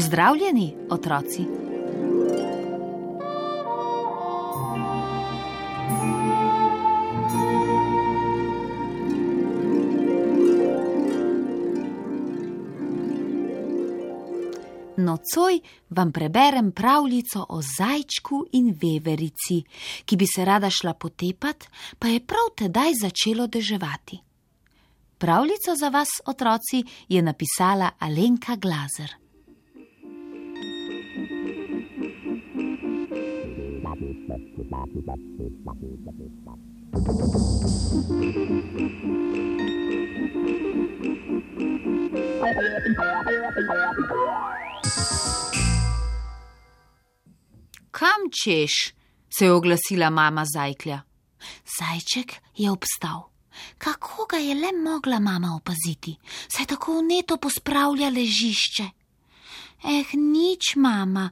Pozdravljeni, otroci! Nocoj vam preberem pravljico o zajčku in veverici, ki bi se rada šla potepat, pa je prav tedaj začelo deževati. Pravljico za vas, otroci, je napisala Alenka Glazer. Kam češ? Se je oglasila mama zajklja. Zajček je obstal. Kako ga je le mogla mama opaziti? Saj tako vneto pospravlja ležišče. Nič, mama,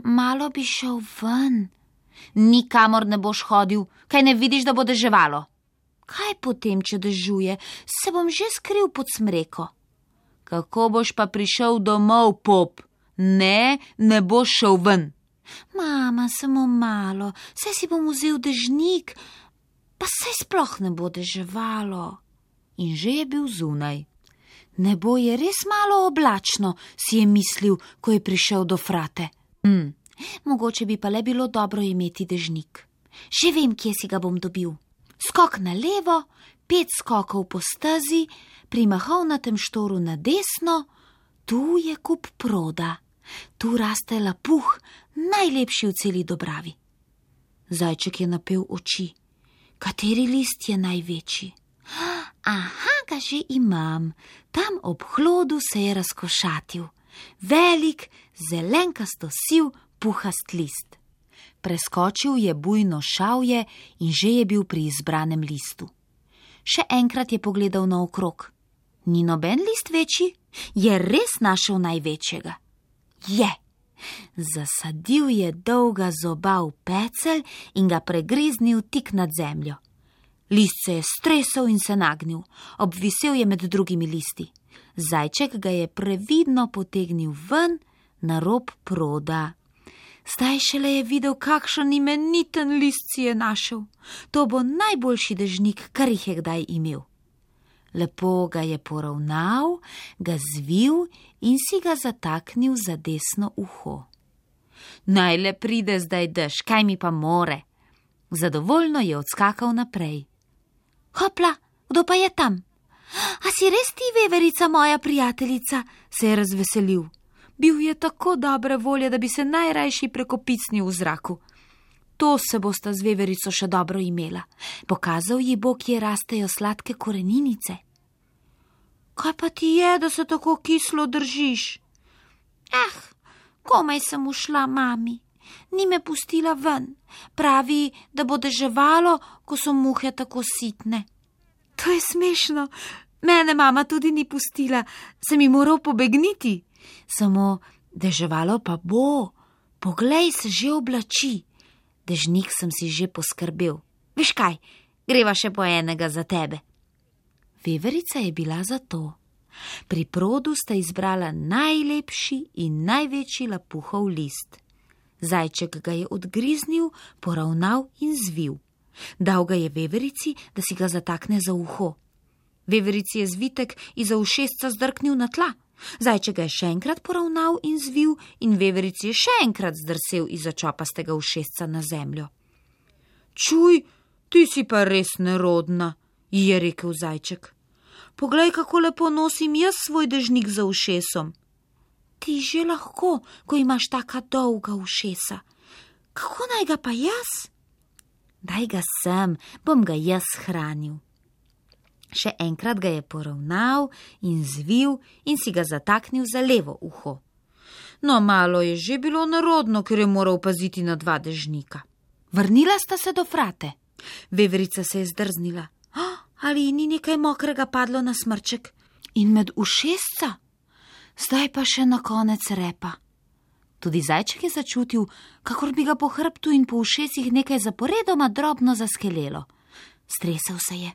malo bi šel ven. Nikamor ne boš hodil, kaj ne vidiš, da bo deževalo? Kaj potem, če dežuje? Se bom že skril pod smreko. Kako boš pa prišel domov, pop? Ne boš šel ven. Mama, samo malo, saj si bom vzel dežnik, pa saj sploh ne bo deževalo. In že je bil zunaj. Nebo je res malo oblačno, si je mislil, ko je prišel do frate. Mogoče bi pa le bilo dobro imeti dežnik. Že vem, kje si ga bom dobil. Skok na levo, 5 skokov po stezi, pri mahovnatem štoru na desno, tu je kup proda. Tu raste lapuh, najlepši v celi Dobravi. Zajček je napel oči. Kateri list je največji? Aha, ga že imam. Tam ob hlodu se je razkošatil. Velik, zelenkasto siv, puhast list. Preskočil je bujno šavje in že je bil pri izbranem listu. Še enkrat je pogledal naokrog. Ni noben list večji? Je res našel največjega? Je! Zasadil je dolga zoba v pecelj in ga pregriznil tik nad zemljo. List se je stresel in se nagnil, obvisel je med drugimi listi. Zajček ga je previdno potegnil ven na rob proda. Zdaj šele je videl, kakšen imeniten list si je našel. To bo najboljši dežnik, kar jih je kdaj imel. Lepo ga je poravnal, ga zvil in si ga zataknil za desno uho. Naj le pride zdaj dež, kaj mi pa more? Zadovoljno je odskakal naprej. Hopla, kdo pa je tam? A si res ti, veverica, moja prijateljica? Se je razveselil. Bil je tako dobre volje, da bi se najrajši prekopicnil v zraku. To se bosta z veverico še dobro imela. Pokazal ji bo, kje rastejo sladke koreninice. Kaj pa ti je, da se tako kislo držiš? Komaj sem ušla, mami. Ni me pustila ven. Pravi, da bo deževalo, ko so muhe tako sitne. To je smešno. Mene mama tudi ni pustila. Sem ji moral pobegniti. Samo deževalo pa bo. Poglej, se že oblači. Dežnik sem si že poskrbel. Veš kaj, greva še po enega za tebe. Veverica je bila za to. Pri produ sta izbrala najlepši in največji lapuhov list. Zajček ga je odgriznil, poravnal in zvil. Dal ga je veverici, da si ga zatakne za uho. Veverici je zvitek iza ušesca zdrknil na tla. Zajček ga je še enkrat poravnal in zvil in veverici je še enkrat zdrsel iza čopastega ušesca na zemljo. Čuj, ti si pa res nerodna, ji je rekel zajček. Poglej, kako lepo nosim jaz svoj dežnik za ušesom. Ti že lahko, ko imaš taka dolga ušesa. Kako naj ga pa jaz? Daj ga sem, bom ga jaz hranil. Še enkrat ga je poravnal in zvil in si ga zataknil za levo uho. No, malo je že bilo nerodno, ker je moral paziti na 2 dežnika. Vrnila sta se do frate. Veverica se je zdrznila. Ali ni nekaj mokrega padlo na smrček? In med ušesca? Zdaj pa še na konec repa. Tudi zajček je začutil, kakor bi ga po hrbtu in po ušesih nekaj zaporedoma drobno zaskelelo. Stresel se je.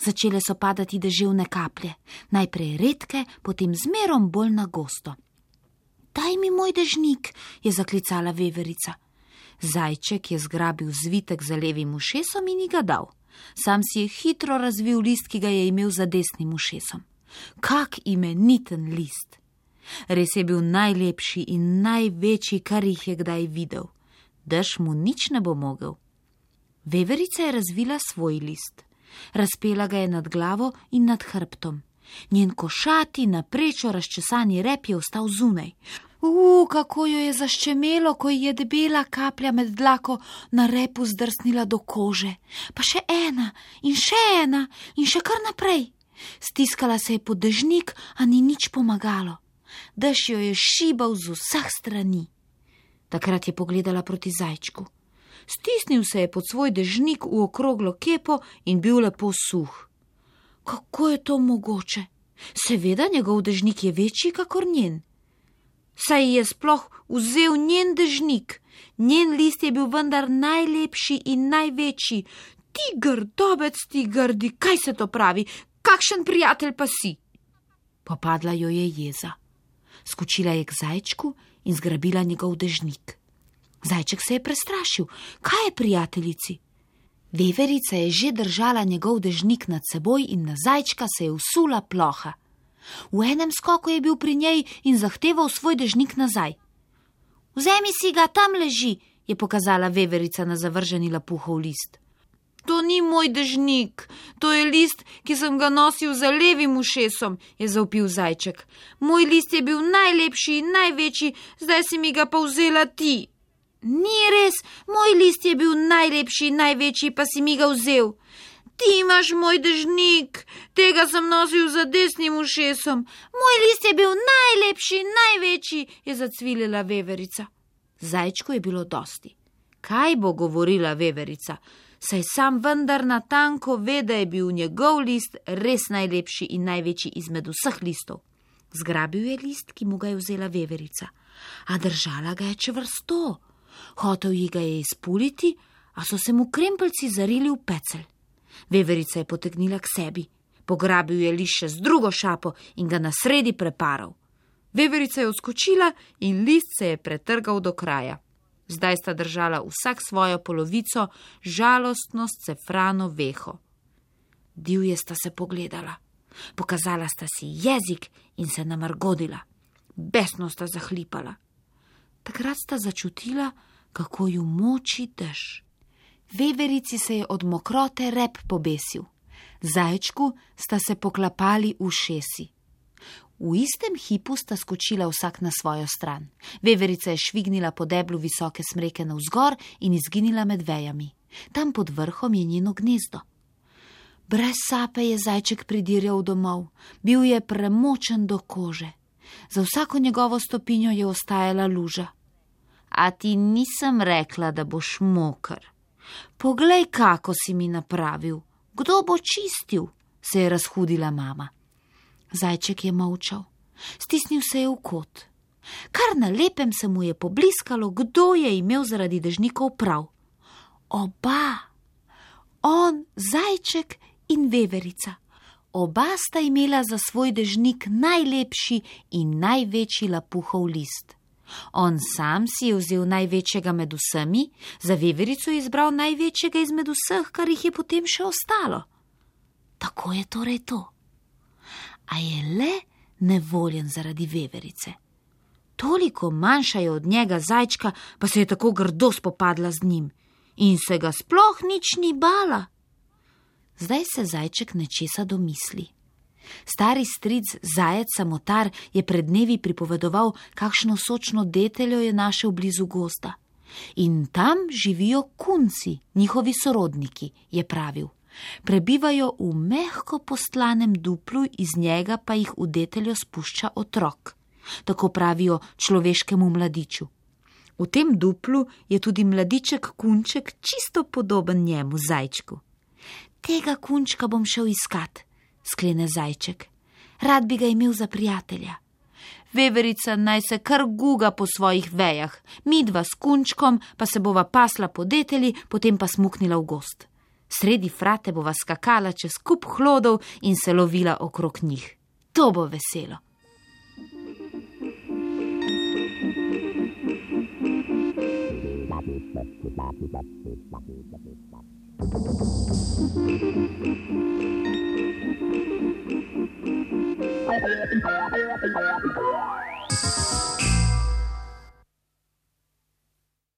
Začele so padati deževne kaplje, najprej redke, potem zmerom bolj na gosto. Daj mi moj dežnik, je zaklicala veverica. Zajček je zgrabil zvitek za levim ušesom in ji ga dal. Sam si je hitro razvil list, ki ga je imel za desnim ušesom. Kak imeniten list! Res je bil najlepši in največji, kar jih je kdaj videl. Dež mu nič ne bo mogel. Veverica je razvila svoj list. Razpela ga je nad glavo in nad hrbtom. Njen košati, naprečo razčesani rep je ostal zunaj. Kako jo je zaščemelo, ko ji je debela kaplja med dlako na repu zdrsnila do kože. Pa še ena in še ena in še kar naprej. Stiskala se je pod dežnik, a ni nič pomagalo. Dež jo je šibal z vseh strani. Takrat je pogledala proti zajčku. Stisnil se je pod svoj dežnik v okroglo kepo in bil lepo suh. Kako je to mogoče? Seveda njegov dežnik je večji kakor njen. Saj je sploh vzel njen dežnik. Njen list je bil vendar najlepši in največji. Ti grdobec, ti grdi, kaj se to pravi? Kakšen prijatelj pa si? Popadla jo je jeza. Skočila je k zajčku in zgrabila njegov dežnik. Zajček se je prestrašil. Kaj je prijateljici? Veverica je že držala njegov dežnik nad seboj in na zajčka se je vsula ploha. V enem skoku je bil pri njej in zahteval svoj dežnik nazaj. Vzemi si ga, tam leži, je pokazala veverica na zavrženi lapuhov list. To ni moj dežnik, to je list, ki sem ga nosil za levim ušesom, je zavpil zajček. Moj list je bil najlepši in največji, zdaj si mi ga pa vzela ti. Ni res, moj list je bil najlepši in največji, pa si mi ga vzel. Ti imaš moj dežnik, tega sem nosil za desnim ušesom. Moj list je bil najlepši in največji, je zacvilila veverica. Zajčku je bilo dosti. Kaj bo govorila veverica? Saj sam vendar natanko ve, da je bil njegov list res najlepši in največji izmed vseh listov. Zgrabil je list, ki mu ga je vzela veverica, a držala ga je čvrsto. Hotel ji ga je izpuliti, a so se mu krempeljci zarili v pecelj. Veverica je potegnila k sebi, pograbil je list še z drugo šapo in ga na sredi preparal. Veverica je odskočila in list se je pretrgal do kraja. Zdaj sta držala vsak svojo polovico, žalostno scefrano veho. Divje sta se pogledala. Pokazala sta si jezik in se namrgodila. Besno sta zahlipala. Takrat sta začutila, kako ju moči dež. Veverici se je od mokrote rep pobesil. Zajčku sta se poklapali ušesi. V istem hipu sta skočila vsak na svojo stran. Veverica je švignila po deblu visoke smreke navzgor in izginila med vejami. Tam pod vrhom je njeno gnezdo. Brez sape je zajček pridirjal domov. Bil je premočen do kože. Za vsako njegovo stopinjo je ostajala luža. A ti nisem rekla, da boš moker. Poglej, kako si mi napravil. Kdo bo čistil? Se je razhudila mama. Zajček je molčal. Stisnil se je v kot. Kar na lepem se mu je pobliskalo, kdo je imel zaradi dežnikov prav. Oba. On, zajček in veverica. Oba sta imela za svoj dežnik najlepši in največji lapuhov list. On sam si je vzel največjega med vsemi, za veverico je izbral največjega izmed vseh, kar jih je potem še ostalo. Tako je torej to. A je le nevoljen zaradi veverice. Toliko manjša je od njega zajčka, pa se je tako grdo spopadla z njim in se ga sploh nič ni bala. Zdaj se zajček nečesa domisli. Stari stric zajec samotar je pred dnevi pripovedoval, kakšno sočno deteljo je našel blizu gozda. In tam živijo kunci, njihovi sorodniki, je pravil. Prebivajo v mehko postlanem duplu, iz njega pa jih v deteljo spušča otrok. Tako pravijo človeškemu mladiču. V tem duplu je tudi mladiček kunček čisto podoben njemu zajčku. Tega kunčka bom šel iskat, sklene zajček. Rad bi ga imel za prijatelja. Veverica naj se kar guga po svojih vejah, midva s kunčkom pa se bova pasla po detelji, potem pa smuknila v gozd. Sredi frate bova skakala čez kup hlodov in se lovila okrog njih. To bo veselo.